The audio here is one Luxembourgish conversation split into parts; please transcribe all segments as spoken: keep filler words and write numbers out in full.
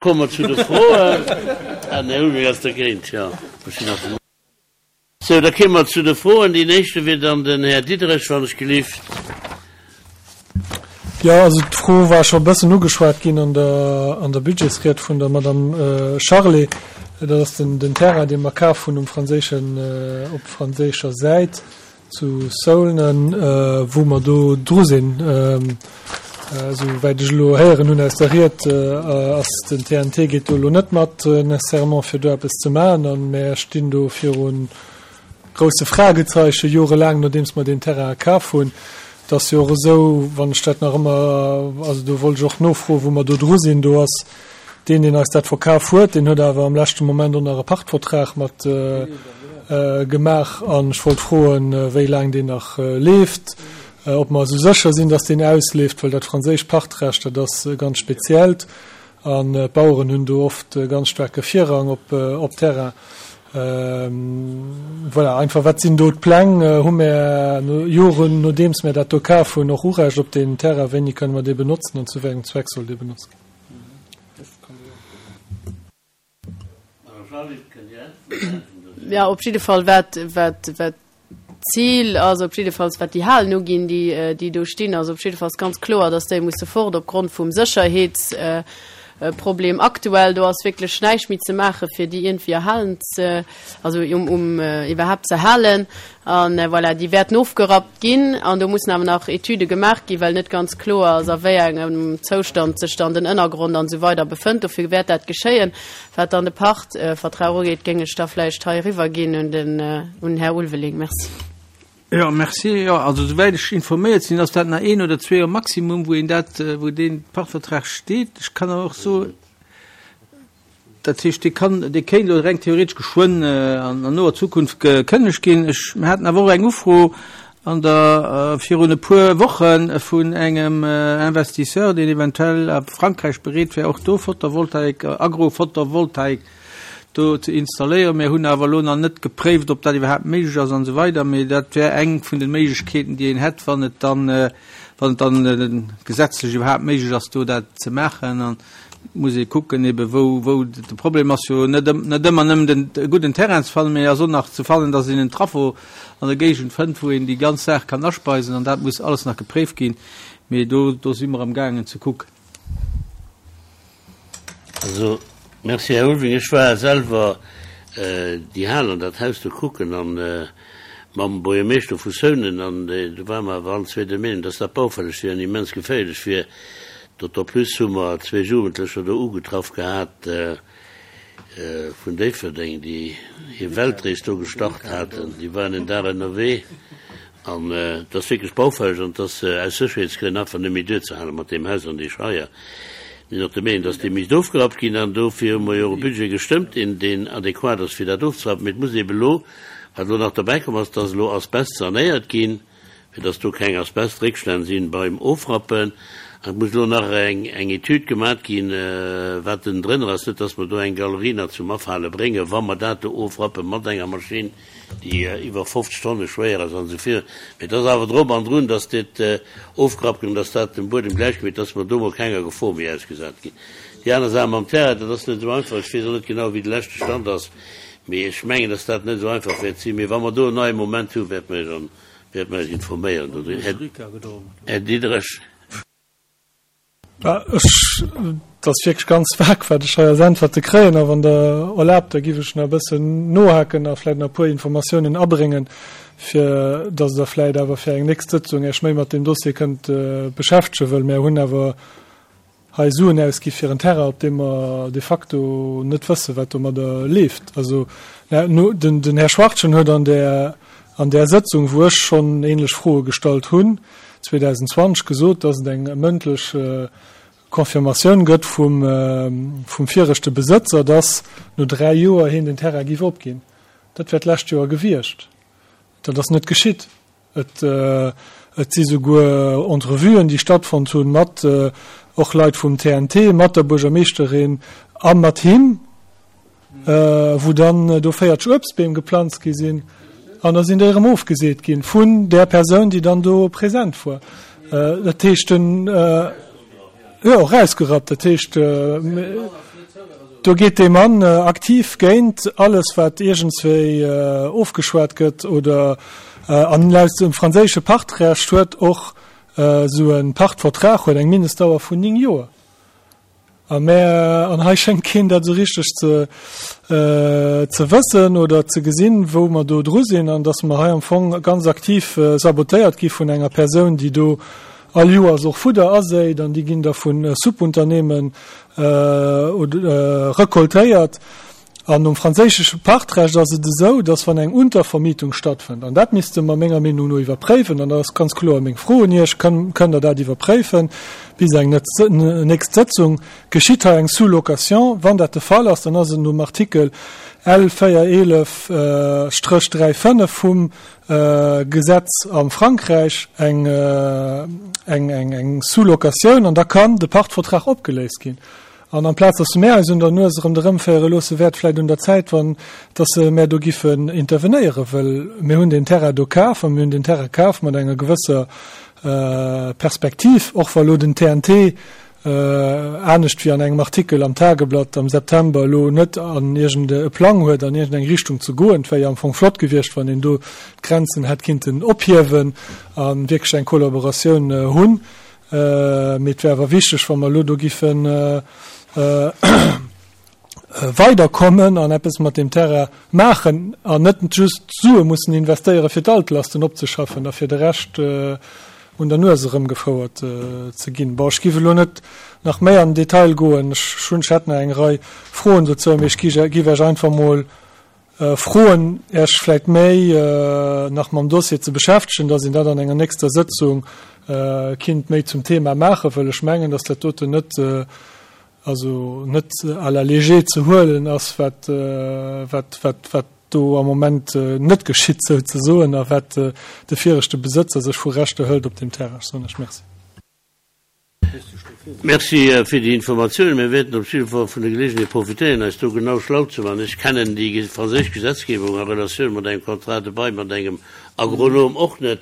Komme mer zu de Froen. Ah, den Här Ulveling ass dergéint, jo. Ech sinn nach den. Sou, da kéime mer zu de Froen. Deen éischte wier dann den Här Diderich, wann ech gelift. Jo, also d'Fro war scho e bëssen ugeschwat ginn an der, an der Budgetsried vun der Madame Charlé. Dat ass den, den Terrain, dee mer kaf hunn um franséischen, op franséischer Säit zu Saulnes, wou mer do dru sinn. Esou wäit ech elo héieren hunn aus der Ried, ass den T N T geet do elo net mat nécessairement fir do eppes ze maachen. A mär stinn do viru grousse Fragezeichen, jorelaang nodeems mer deen Terrain kaf hunn. Et ass jo och esou, wann ech dat nach ëmmer, also do wollt ech och nofroen, wou mer do dru sinn, do ass deen, deen eis dat verkaf huet, deen huet awer am leschte Moment och nach e Pachtvertrag mat gemaach. An ech wollt froen, wéi laang deen nach leeft, ob mer esou sécher sinn, dass deen ausleeft, well dat franséischt Pachtrecht, dat ass e ganz speziellt an d'Baueren hunn do oft e ganz staarke Virrang op, op Terrain. Voilà, einfach, wat sinn do d'Pläng? Hu mär no Joren, nodeems mär dat do kaf hunn, och Urecht op deen Terrain? Wéini kënne mer dee benotzen an zu wéi engem Zweck soll dee benotzt ginn? Jo, op jidde Fall, wat, wat, wat d'Zil ass, op jiddefalls wat déi Halen uginn, déi, déi do stinn, ass op jiddefalls ganz kloer, dass déi musse fort opgrond vum Sécherheetsproblem aktuell. Do ass wierklech näischt méi ze maache fir déi iergendwéi erhalen ze, also um, um iwwerhaapt ze halen. An voilà, déi wäerten ofgerappt ginn an do mussen awer nach Etüde gemaach ginn, well net ganz kloer ass, a wéi engem Zoustand sech dann den Ënnergrond an esou weider befënnt. Dofir wäert dat geschéien. Wat dann de Pachtvertrag ugeet, géing ech da vläicht hei eriwwerginn un den, un den Här Ulveling. Merci. Jo, merci. Jo, also souwäit ech informéiert sinn, ass dat nach een oder zwee Joer maximum, wou een dat, wou dee Pachtvertrag steet. Ech kann awer och soen, dat heescht, dee kann, dee kéint elo reng theoretesch geschwënn an an noer Zukunft gekënnegt ginn. Ech, mir haten awer och eng Ufro an der, virun e puer Woche vun engem Investisseur, deen eventuell a Frankräich bereet wär, och do Photovoltaik, Agrophotovoltaik do ze installéieren. Mir hunn awer elo nach net gepréift, ob dat iwwerhaapt méiglech ass an esou weider, mee dat wär eng vun de Méiglechkeeten, déi een hätt, wann et dann, wann et dann gesetzlech iwwerhaapt méiglech ass, do dat ze maachen. An et muss ee kucken ebe wou, wou de Problem ass jo net, net ëmmer nëmmen den e gudden Terrain ze fannen, mee ass och nach ze fannen, dass een en Traffo an der Géigend fënnt, wou een déi ganz Saach kann aspeisen, an dat muss alles nach gepréift ginn. Mee do, do si mer amgaangen ze kucken. Also, merci Här Ulveling. Ech war selwer déi Hal an dat Haus do kucken an mam Buergermeeschter vu Seunen, an do ware mer awer allen zwee der Meenung, dass dat baufälleg wier an immens geféierlech wier. D'autant plus hu mer zwee Jugendlecher do ugetraff gehat vun Déifferdeng, déi hir Weltrees do gestart haten. Déi waren en Dag ënnerwee. An et ass wierklech baufälleg an et ass aus Sécherheetsgrënn einfach net méi duerzehalen mat deem Haus an déi Scheier. Mir sinn och der Meenung, dass dee misst ofgerappt ginn an dofir hu mer jo och e Budget gestëmmt, deen, deen adequat ass fir dat ofzerappen. Mee et muss eeben elo, wat elo nach derbäikomm ass, dass elo Asbest sanéiert ginn, fir dass do keng Asbestréckstänn sinn beim Ofrappen. An et muss elo nach eng, eng Etüd gemat ginn, wat denn drënner ass, net dass mer do eng Galerie nach zum Afale bréngen, wa mer dat do ofrappe mat enger Maschinn, déi iwwer fofzeg Tonne schwéier ass an esou virun. Mee et ass awer drop an drun, dass dat ofgerappt gëtt an dass dat dem Buedem gläichgemeet, dass mer do mol kenger Gefor méi ausgesat ginn. Déi aner Saach mam Terrain, dat ass net esou einfach. Ech weess och net genau, wéi de leschte Stand ass, mee ech mengen, dass dat net esou einfach wäert sinn. Mee wa mer do en neie Moment hunn, wäerte mer Iech wäerte mer Iech informéieren dodriwwer. Här Diderich. Ech, et ass wierklech ganz vag, wat ech hei als Äntwerte kréien. A wann Der erlaabt, da giff ech nach e bëssen nohaken a vläicht nach e puer Informatiounen abréngen, fir datt Der vläicht awer fir eng nächst Sëtzung Iech méi mat deem Dossier kënnt beschäftegen, wëll mär hunn awer hei Suen ausgi fir en Terrain, op deem mer de facto net wëssen, wat domadder leeft. Also, den Här Schwachtgen huet an där, an där Sëtzung, wou ech schonn ähnlech Froe gestallt hunn, zweedausendzwanzeg gesot, dass et eng mëndlech Confirmatioun gëtt vum vum viregte Besëtzer, dass no dräi Joer hien den Terrain géif opginn. Dat wär d'lescht Joer gewiescht. Dat ass net geschitt. Et et si souguer Entrevuen, déi stattfonnt hunn, mat och Leit vum T N T, mat der Buergermeeschterin a mat him, wou dann do véierzeg Uebstbeem geplanzt gi sinn an da sinn déi erëm ofgeseet ginn vun där Persoun, déi dann do present war. Dat heescht, den, jo, erausgerappt. Dat heescht, Do geet dee Mann aktiv géint alles, wat iergendswéi ofgeschwat gëtt oder an laut dem franséische Pachtrecht huet och esou e Pachtvertrag huet eng Mindestdauer vun néng Joer. A mä an hei schéngt keen dat esou richteg ze ze wëssen oder ze gesinn, wou mer do dru sinn an datt mer hei am Fong ganz aktiv sabotéiert gi vun enger Persoun, déi do all Joers och Fudder aséit an déi ginn da vu Subunternehmen recoltéiert. An nom franséische Pachtrecht ass et esou, dass wann eng Untervermietung stattfënnt, an dat misste mer menger Meenung no iwwerpréiwen, an dat ass ganz kloer meng Fro un Iech, kënnt Der dat iwwerpréifen bis eng nächst Sëtzung, geschitt hei eng Sous-location? Wann dat de Fall ass, dann ass et nom Artikel L véier eelef Stréch dräi fënnef vum Gesetz am Frankräich eng eng Sous-locatioun an da kann de Pachtvertrag opgeléist ginn. An amplaz dass se mär eis un der Nues erëm derëmféiere loosse, wär et vläicht un der Zäit, wann dass se mär do giffen intervenéieren, well mir hunn deen Terrain do kaf a mir hunn deen Terrain kaf mat enger gewësser Perspektiv, och wa lo den T N T anescht wéi an engem Artikel am Tageblatt am September elo net an iergend e Plang huet, an iergend eng Richtung ze goen. Et wär jo am Fong flott gewiescht, wann een do d'Grenzen hätt kinnten ophiewen a wierklech eng Kollaboratioun hunn. Mee et wär awer wichteg, wa mer elo do giffe weiderkommen an eppes mat deem Terrain maachen an net just Sue mussen investéieren, fir d'Altlasten opzeschaffen a fir de Rescht un der Nues erëmgefouert ze ginn. Bon, ech giff elo net nach méi an den Detail goen. Ech hunn, ech hätt nach eng Rei Froen dozou, mee ech giff Iech einfach mol froen, Iech vläicht méi nach mam Dossier ze beschäftegen, dass een dat an enger nächster Sëtzung kinnt méi zum Thema maachen, well ech mengen, dass dat doten net, also net à la légère ze huelen ass, wat, wat, wat, wat do am Moment net geschitt souzesoen a wat de viregte Besëtzer sech vu Rechter hëlt op deem Terrain. Ech soen lech Merci. Merci fir déi Informatiounen. Mir wäerten op jidde Fall vun der Geleegenheet profitéieren, eis do genau schlau ze maachen. Ech kennen déi franséisch Gesetzgebung a Relatioun mat engem Contrat de bail mat engem Agronom och net,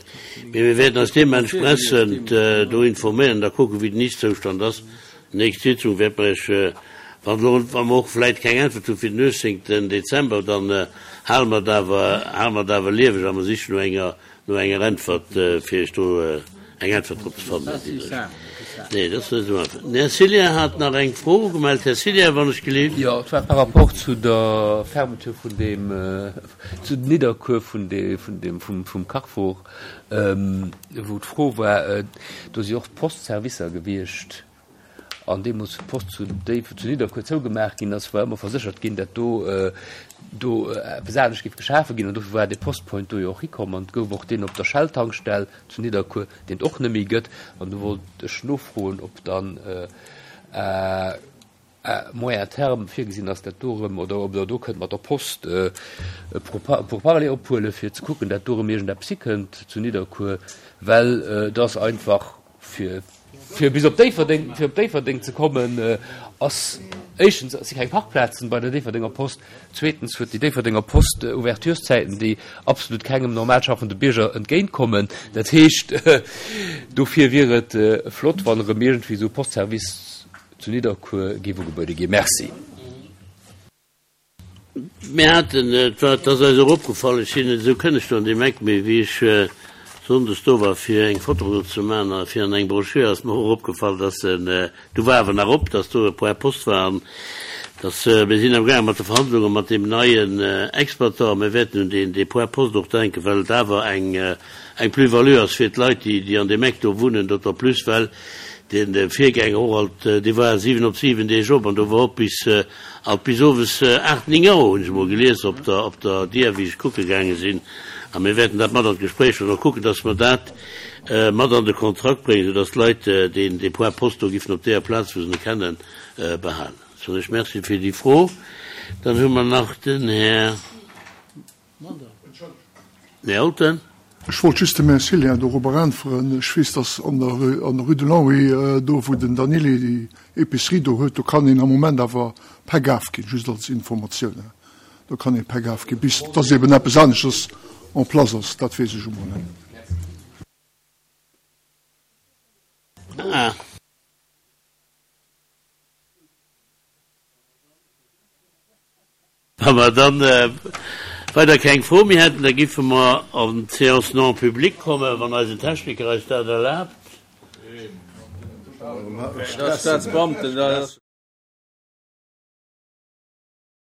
mee mir wäerten eis deementsprechend do informéieren an da kucken, wéi den Ist-Zoustand ass. Nächst Sitzung wäerte mer Iech, wann elo, wa mer och vläicht keng Äntwert hu fir den uechtzéngten Dezember, dann hale mer et awer, hale mer et awer lieweg a mer sichen no enger, no enger Äntwert, fir Iech do eng Äntwert drop ze fannen, Här Diderich. Nee, dat ass net esou einfach. Den Här Cillien hat nach eng Fro gemellt. Här Cillien, wann ech gelift. Jo, et war par rapport zu der Fermeture vun deem, zu Nidderkuer vun de, vun dem, vum, vum Carrefour, wou d'Fro war, do si och d'Postservicer gewiescht, an deemools wou d'Post zu Déif, zu Nidderkuer zougemaach ginn ass, war ëmmer verséchert ginn, dat do, do eppes anescht géif geschafe ginn, an dofir war dee Postpoint do jo och hikomm, an et gouf och deen op der Shell-Tankstell zu Nidderkuer, deen et och net méi gëtt, an do wollt ech nofroen, ob dann à moyen terme virgesinn ass, dat do erëm, oder ob Der do kënnt mat der Post Pourparlers ophuelen, fir ze kucken, dat do erëm iergendeppes hikënnt zu Nidderkuer, well et ass einfach fir fir bis op Déifferdeng, fir op Déifferdeng ze kommen, ass éischtens si keng Parkplazen bei der Déifferdenger Post, zweetens huet déi Déifferdenger Post Ouvertureszäiten, déi absolut kengem normal schaffende Bierger entgéintkommen. Dat heescht, dofir wier et flott, wann erëm iergendwéi esou e Postservice zu Nidderkuer géif ugebuede ginn. Merci. Mir haten, et war, et ass eis och opgefall, ech sinn net esou kënneg do an deem Eck, mee wéi ech sonndes do war fir eng Foto do ze maachen a fir an eng Broschür, ass mer och opgefall, dass en, du war awer nach op, dass do e Point Post war an dass, mir sinn amgaange mat de Verhandlunge mat deem neien Exploitant a mir wäerten un deen, dee Point Post och denken, well et awer eng, eng Plus-value ass fir d'Leit, déi, déi an deem Eck do wunnen, d'autant plus well deen Virgänger och alt, dee war siwen op siwen Deeg op an do war op bis, Alt bis owes aacht, néng Auer hunn ech emol gelies op der op der Dier, wéi ech kucke gaange sinn. A mir wäerten dat mat an d'Gespréich huelen, och kucken, datt mer dat mat an de Kontrakt bréngen, soudatt d'Leit deen dee Point poste do giffen op deeër Plaz, wou se e kennen, behalen. Soen ech Merci fir déi Fro. Dann hu mer nach den Här. Här Olten. Ech wollt just dem Här Cillien dorobber äntweren. Ech weess, dass an der an der Rue de Longwy, do wou den Daniele déi Épicerie do huet, do kann een am Moment awer Päck afginn, just als Informatioun. Do kann ee Päck afginn, bis dass eben eppes aneschters en place ass. Dat weess ech emol net. Ah. Wa mer dann weider keng Fro méi hätten, da giffe mer an d'Séance non publique kommen, wann eisen Techniker eis dat erlaabt. Staatsbeamten.